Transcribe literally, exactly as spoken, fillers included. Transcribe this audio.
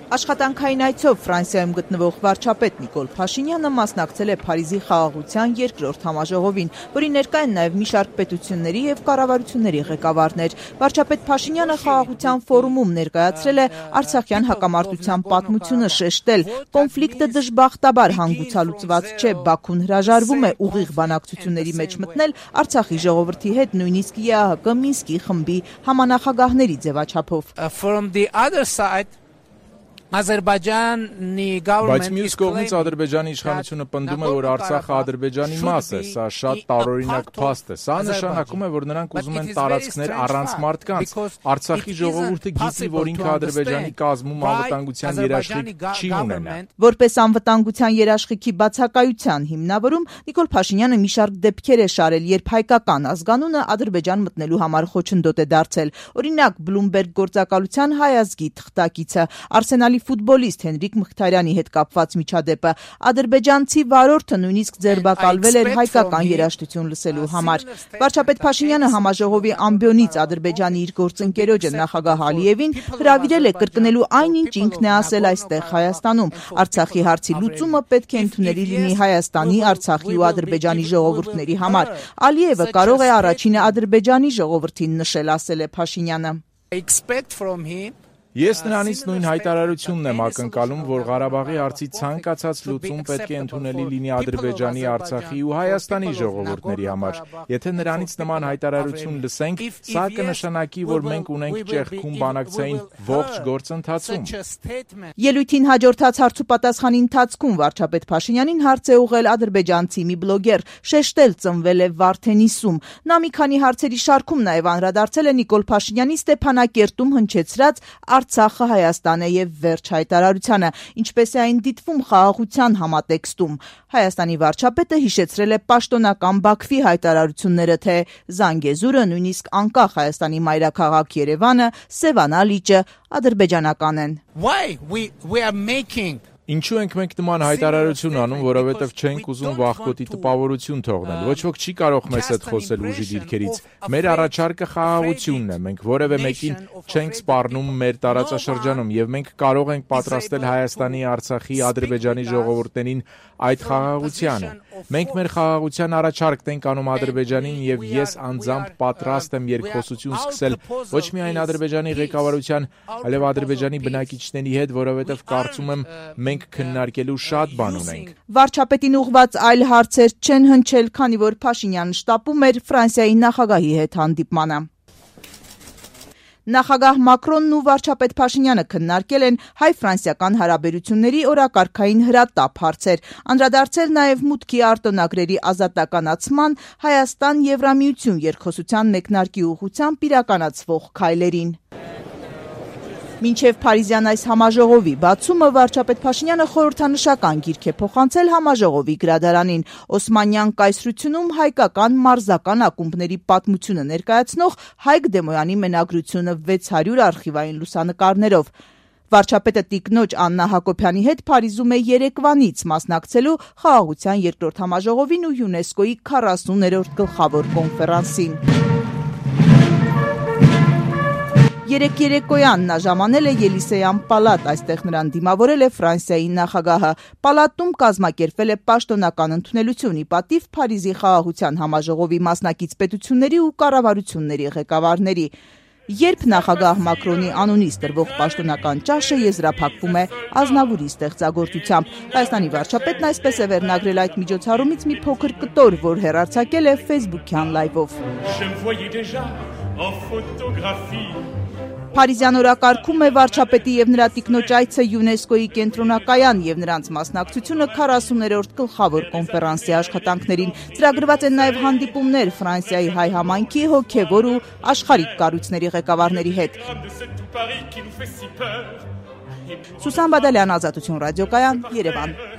Աշխատանքային այցով Ֆրանսիայում գտնվող վարչապետ Նիկոլ Փաշինյանը մասնակցել է Փարիզի խաղաղության երկրորդ համաժողովին, որի ներկա են նաև մի շարք պետությունների և կառավարությունների ղեկավարներ։ Վարչապետ Փաշինյանը խաղաղության ֆորումում ներկայացրել է արցախյան հակամարտության պատմությունը, շեշտել. կոնֆլիկտը դժբախտաբար հանգուցալուծված չէ, Բաքուն հրաժարվում է ուղիղ բանակցությունների մեջ մտնել Արցախի ժողովրդի հետ, նույնիսկ ԵԱՀԿ Մինսկի խմբի համանախագահների ձևաչափով։ Բայց մյուս կողմից Ադրբեջանի իշխանությունը պնդում է, որ Արցախը Ադրբեջանի մաս է, սա շատ տարօրինակ փաստ է։ Սա նշանակում է, որ նրանք ուզում են տարածքներ առանց մարդկանց։ Արցախի ժողովուրդը գիտի, որ ինքը Ադրբեջանի կազմում անվտանգության երաշխիք չի ունենա։ Որպես անվտանգության երաշխիքի բացակայության հիմնավորում Նիկոլ Փաշինյանը մի շարք դեպքեր է շարել, երբ հայկական ազգանունը Ադրբեջան մտնելու համար խոչընդոտ է դարձել։ Օրինակ, Բլումբերգ գործակալության հայ ազգի թղթակիցը, Արսենալի ֆուտբոլիստ Հենրիկ Մխիթարյանի հետ կապված միջադեպը, ադրբեջանցի վարորդը նույնիսկ ձերբակալվել էր հայկական երաժշտություն լսելու համար։ Վարչապետ Փաշինյանը համաժողովի ամբիոնից Ադրբեջանի իր գործընկերոջը նախագահ Ալիևին հրավիրել է կրկնելու այնինչ ինքն է ասել այստեղ Հայաստանում։ Արցախի հարցի լուծումը պետք է ընդունելի լինի Հայաստանի, Արցախի ու Ադրբեջանի ժողովուրդների համար։ Ալիևը կարող է առաջինը Ադրբեջանի ժողովրդին նշել, ասել է Փաշինյանը։ Ես նրանից նույն հայտարարությունն եմ ակնկալում, որ Ղարաբաղի հարցի ցանկացած լուծում պետք է ընդունելի լինի Ադրբեջանի, Արցախի ու Հայաստանի ժողովուրդների համար։ Եթե նրանից նման հայտարարություն լսենք, սա կնշանակի, որ մենք ունենք ճեղքում բանակցային ողջ գործընթացում։ Ելույթին հաջորդած հարցուպատասխանի ընթացքում վարչապետ Փաշինյանին հարց է ուղղել ադրբեջանցի մի բլոգեր, շեշտել ծնվել է Վարդենիսում։ Նա մի քանի հարցերի շարքում նաև անդրադարձել է Նիկոլ Փաշինյանի Ստեփանակերտում հնչեցրած Արցախը Հայաստան է եւ վերջ հայտարարությանը, ինչպես է այն դիտվում խաղաղության համատեքստում։ Հայաստանի վարչապետը հիշեցրել է պաշտոնական Բաքվի հայտարարությունները, թե Զանգեզուրը, նույնիսկ անկախ Հայաստանի մայրաքաղաք Երևանը, Սևանա լիճը ադրբեջանական են։ Ինչու ենք մենք նման հայտարարություն անում, որովհետև չենք ուզում վախկոտի տպավորություն թողնել։ Ոչ ոք չի կարող մեզ հետ խոսել ուժի դիրքերից։ Մեր առաջարկը խաղաղությունն է։ Մենք որևէ մեկին չենք սպառնում մեր տարածաշրջանում եւ մենք կարող ենք պատրաստել Հայաստանի, Արցախի, Ադրբեջանի ժողովուրդներին այդ խաղաղությանը։ Մենք մեր խաղաղության առաջարկն ենք անում Ադրբեջանին եւ ես անձամբ պատրաստ եմ երկխոսություն սկսել ոչ միայն Ադրբեջանի ղեկավարության, այլև Ադրբեջանի բնակիչների հետ, որովհետև կարծում եմ մենք քննարկելու շատ բան ունենք։ Վարչապետին ուղղված այլ հարցեր չեն հնչել, քանի որ Փաշինյանը շտապում էր Ֆրանսիայի նախագահի հետ հանդիպմանը։ Նախագահ Մակրոնն ու վարչապետ Փաշինյանը քննարկել են հայ-ֆրանսիական հարաբերությունների օրակարգային հրատապ հարցեր, անդրադարձել նաև մուտքի արտոնագրերի ազատականացման Հայաստան-Եվրամիություն երկխոսության մեկնարկի ուղղությամբ իրականացվող քայլերին։ Մինչև Փարիզյան այս համաժողովի բացումը վարչապետ Փաշինյանը խորհրդանշական գիրք է փոխանցել համաժողովի գրադարանին։ Օսմանյան կայսրությունում հայկական մարզական ակումբների պատմությունը ներկայացնող Հայկ Դեմոյանի մենագրությունը վեց հարյուր արխիվային լուսանկարներով։ Վարչապետը տիկնոջ Աննա Հակոբյանի հետ Փարիզում է երեկվանից մասնակցելու խաղաղության երկրորդ համաժողովին ու ՅՈՒՆԵՍԿՕ-ի քառասուներորդ գլխավոր կոնֆերանսին։ Երեք երեկոյան նա ժամանել է Ելիսեյան պալատ, այստեղ նրան դիմավորել է Ֆրանսիայի նախագահը։ Պալատում կազմակերպվել է պաշտոնական ընդունելություն ի պատիվ Փարիզի խաղաղության համաժողովի մասնակից պետությունների ու կառավարությունների ղեկավարների։ Երբ նախագահ Մակրոնի անունից տրվող պաշտոնական ճաշը եզրափակվում է Ազնավուրի ստեղծագործությամբ։ Հայաստանի վարչապետն այսպես է վերնագրել այդ միջոցառումից մի փոքր կտոր, որ հեռարձակել է Facebook-յան լայվով։ Փարիզյան օրակարգում է վարչապետի եւ նրա տիկնոջ այցը ՅՈՒՆԵՍԿՕ-ի կենտրոնակայան եւ նրանց մասնակցությունը քառասուներորդ գլխավոր կոնֆերանսի աշխատանքներին։ Ծրագրված են նաեւ հանդիպումներ Ֆրանսիայի հայ համայնքի հոգեվոր ու աշխարհիկ կառույցների ղեկավարների հետ։ Սուսան Բադալյան, Ազատություն ռադիոկայան, Երևան։